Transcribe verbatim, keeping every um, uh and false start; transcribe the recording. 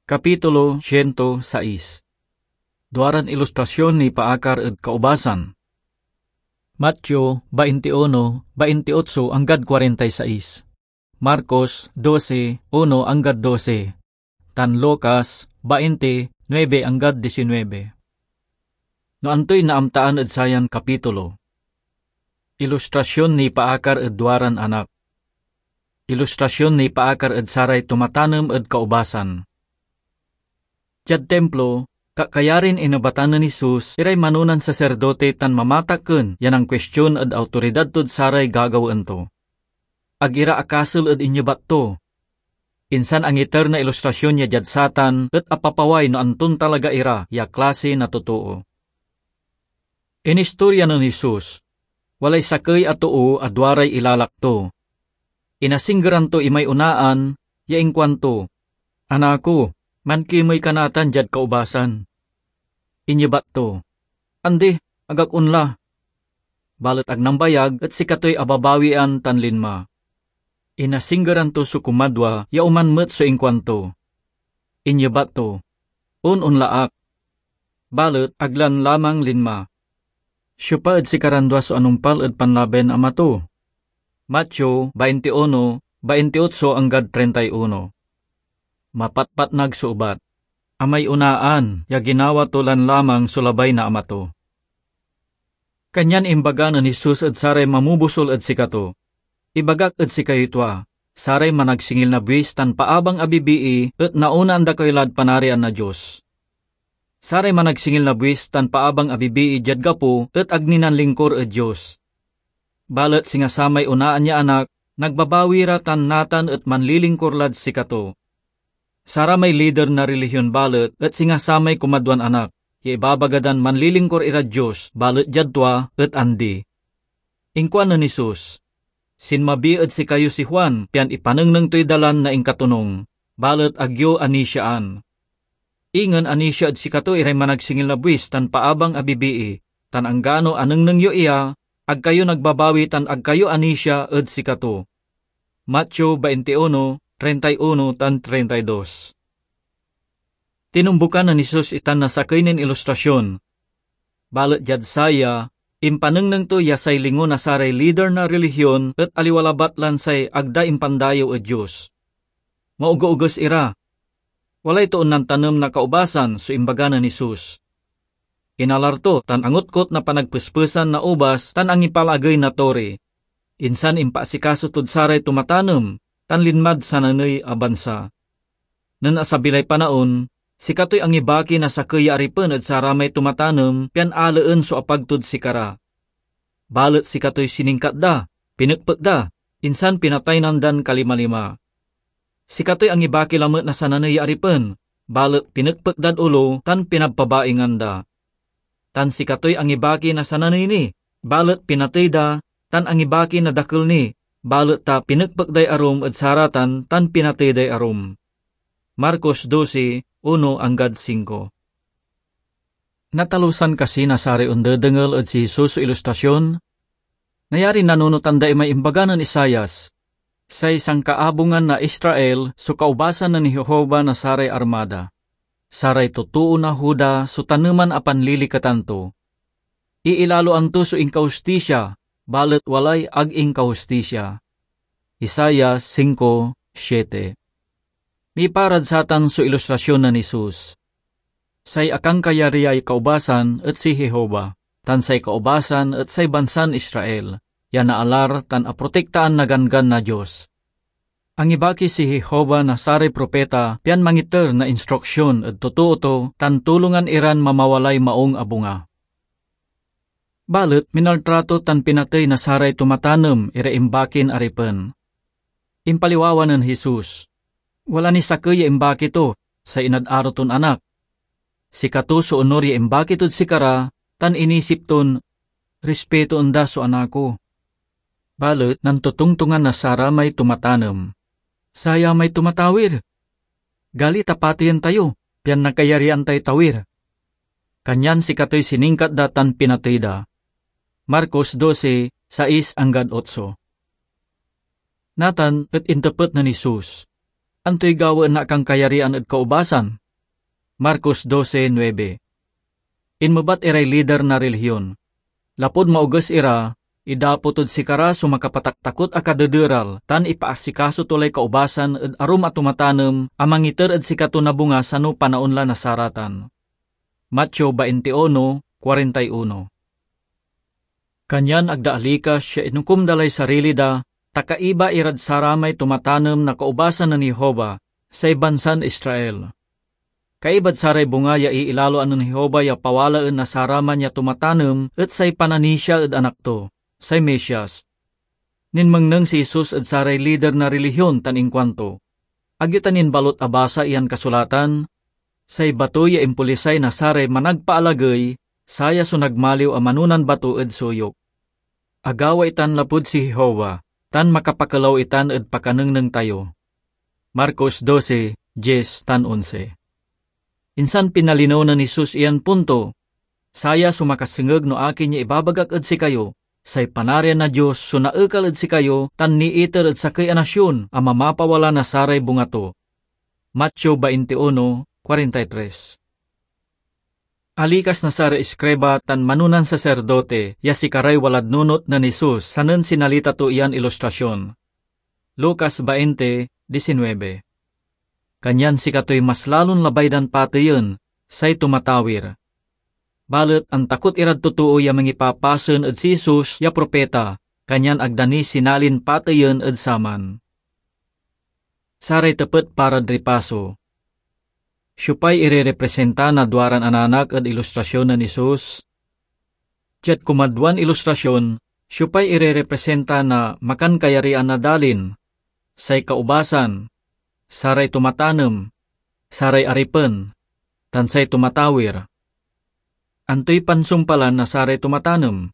Kapitulo siento sais. Duaran ilustrasyon nipaakar ed kaubasan. Mateo baintiuno, baintiotso anggad kuarenta y sais. Marcos doce, uno anggad doce. Tan Lucas bainte, nuebe anggad diecinuebe. No antoy naamtaan ed sayan kapitulo? Ilustrasyon nipaakar ed duaran anak. Ilustrasyon nipaakar ed saray tumatanem ed kaubasan. Diad Timplo, kakayarin inebatan nen Jesus iray manonan saserdote tan mamatakken ya nankuestion ed awtoridad tod saray gagawaen to. Ag ira akasel ed inyebat to. Insan angiter na ilustrasyon ya diad satan et apapaway no anton talaga ira ya klase na totoo. Inistorya nen Jesus, walay sakey a too a duaray ilalak to. Inasinggeran to imay onaan ya inkuanto, "Anako, mankimey ka natan diad kaubasan." Inyebat to, "Andi, ag ak onla." Balet ag nambayag et sikatoy ababawian tan linma. Inasinggeran to so kumadwa ya oman met so inkuanto. Inyebat to, "On onla ak." Balet ag lan lamang linma. Siopa ed sikaran dua so anumpal ed panlabay na ama to? Mateo baintiuno, baintiotso anggad treinta y uno. Mapatpatnag so ebat. Amay onaan ya ginawa to lan lamang so labay na ama to. Kanyan imbaga nen Jesus ed saray mamobusol ed sikato, "Ibagak ed sikayoy tua, saray managsingil na buis tan paabang a bibii et naonaan da kayo lad Panarian na Dios. Saray managsingil na buis tan paabang a bibii diad gapo et ag ni nanlingkor ed Dios. Balet singa samay onaan ya anak, nagbabawi ra tan natan et manlilingkor lad sikato. Saramay lider na relihion balet et singa samay kumadwan anak, ya ibabaga dan manlilingkor irad Dios, balet diad tua et andi." Inkuan nen Jesus, "Sinmabi ed sikayo si Juan pian ipanengneng toy dalan na inkatonung, balet ag yo anisiaan. Ingen anisia ed sikato iray managsingil na buis tan paabang a bibii, tan anggano anengneng yo iya, ag kayo nagbabawi tan ag kayo anisia ed sikato." Mateo baintiuno, treinta y uno tan treinta y dos. Tinombukan nen Jesus itan na sakey nin ilustrasyon. Balet diad saya, impanengneng to ya say lingo na saray lider na relihion et aliwa labat lan say ag da impandayew ed Dios. Maogeoges ira. Walay toon nantanem na kaubasan so imbaga nen Jesus. Inalar to tan angotkot na panagpespesan na ubas tan angipalagey na tori. Insan impaasikaso tod saray tumatanem tan linmad sananey a bansa. Nen asabi lay panaon, sikatoy angibaki na sakey ya aripen ed saramay tumatanem pian alaen so apag tod sikara. Balet sikatoy siningkat da, pinekpek da, insan pinataynan dan kalimalima. Sikatoy angibaki lamet na sananey ya aripen, balet pinekpek dad olo tan pinabpabaingan da. Tan sikatoy angibaki na sananey ni, balet pinatey da, tan angibaki na dakel ni, balet ta pinekpek day arum ed saratan tan pinatey day arum. Marcos doce, uno anggad singko. Natalusan kasi na saray ondedengel ed si Jesus so ilustrasyon? Nayarin nanunotan da imay imbaga nen Isaias, "Say sankaabungan na Israel so kaubasan nen Jehovah na saray armada. Saray totoo na Juda so taneman a panliliketan to. Iilaloan to so inkahustisia, balet walay ag inkahustisia." Isaias singko siete. Miparad satan so ilustrasyon nen Jesus. Say akankayariay kaubasan et si Jehovah, tan say kaubasan et say bansan Israel, ya naalar tan aprotektaan na Ganggan na Dios. Angibaki si Jehovah na saray propeta pian mangiter na instruksyon ed totoo to tan tulongan iran mamawalay maung a bunga. Balet minaltrato tan pinatey na saray tumatanem iray imbakin aripen. Impaliwawa nen Jesus, "Wala ni sakey ya imbaki to, say inad aro ton anak. Sikato so onor ya imbaki tod sikara, tan inisip ton, 'Rispitoen da so anako.' Balet nantotongtongan na saramay tumatanem. Saya may tumatawir. Gali ta pateyen tayo, pian nakayarian tay tawir." Kanyan sikatoy siningkat da tan pinatey da. Marcos doce, sais anggad otso. Natan et intepet nen Jesus, Antoy gawaen na akankayarian ed kaubasan? Marcos doce nuebe. Inmebat iray lider na relihion. Lapud maoges ira, idapo tod sikara so makapataktakot a kadederal tan ipaasikaso to lay kaubasan ed arum a tumatanem a mangiter ed sikato na bunga sano panaon la na saratan. Mateo veintiuno, cuarenta y uno. Kanyan ag da alikas ya inukom da lay sarili da, ta kaiba irad saramay tumatanem na kaubasan nen Jehovah, say bansan Israel. Kaibad saray bunga ya iilaloan nen Jehovah ya pawalaen na saraman ya tumatanem et say pananisia ed Anak to, say Mesias. Ninmengneng si Jesus ed saray lider na relihion tan inkuanto, "Ag yo ta nin balot abasa iyan kasulatan? Say bato ya impolisay na saray managpaalagey, saya so nagmaliw a manonan bato ed suyok. Agawa itan lapud si Jehovah, tan makapakelaw itan ed pakanengneng tayo." Marcos doce, diez tan onse. Insan pinalinew nen Jesus iyan punto, "Saya so makasengeg no akin ya ibabagak ed sikayo, say Panarian na Dios so naekal ed sikayo tan niiter ed sakey a nasion a mamapawala na saray bunga to." Mateo veintiuno, cuarenta y tres. Alikas na saray eskriba tan manonan saserdote ya sikaray walad nunot nen Jesus sanen sinalita to iyan ilustrasion. Lucas veinte, diecinueve. Kanyan sikatoy mas lalon labay dan pateyen, say tumatawir. Balet antakot irad totoo ya mangipapasen ed si Jesus ya propeta, kanyan ag da ni sinalin pateyen ed saman. Saray tepet parad ripaso. Siopay irerepresenta na duaran ananak ed ilustrasion nen Jesus? Diad kumadwan ilustrasion, siopay irerepresenta na makankayarian a dalin? Say kaubasan, saray tumatanem, saray aripen, tan say tumatawir. Antoy pansumpalan na saray tumatanem?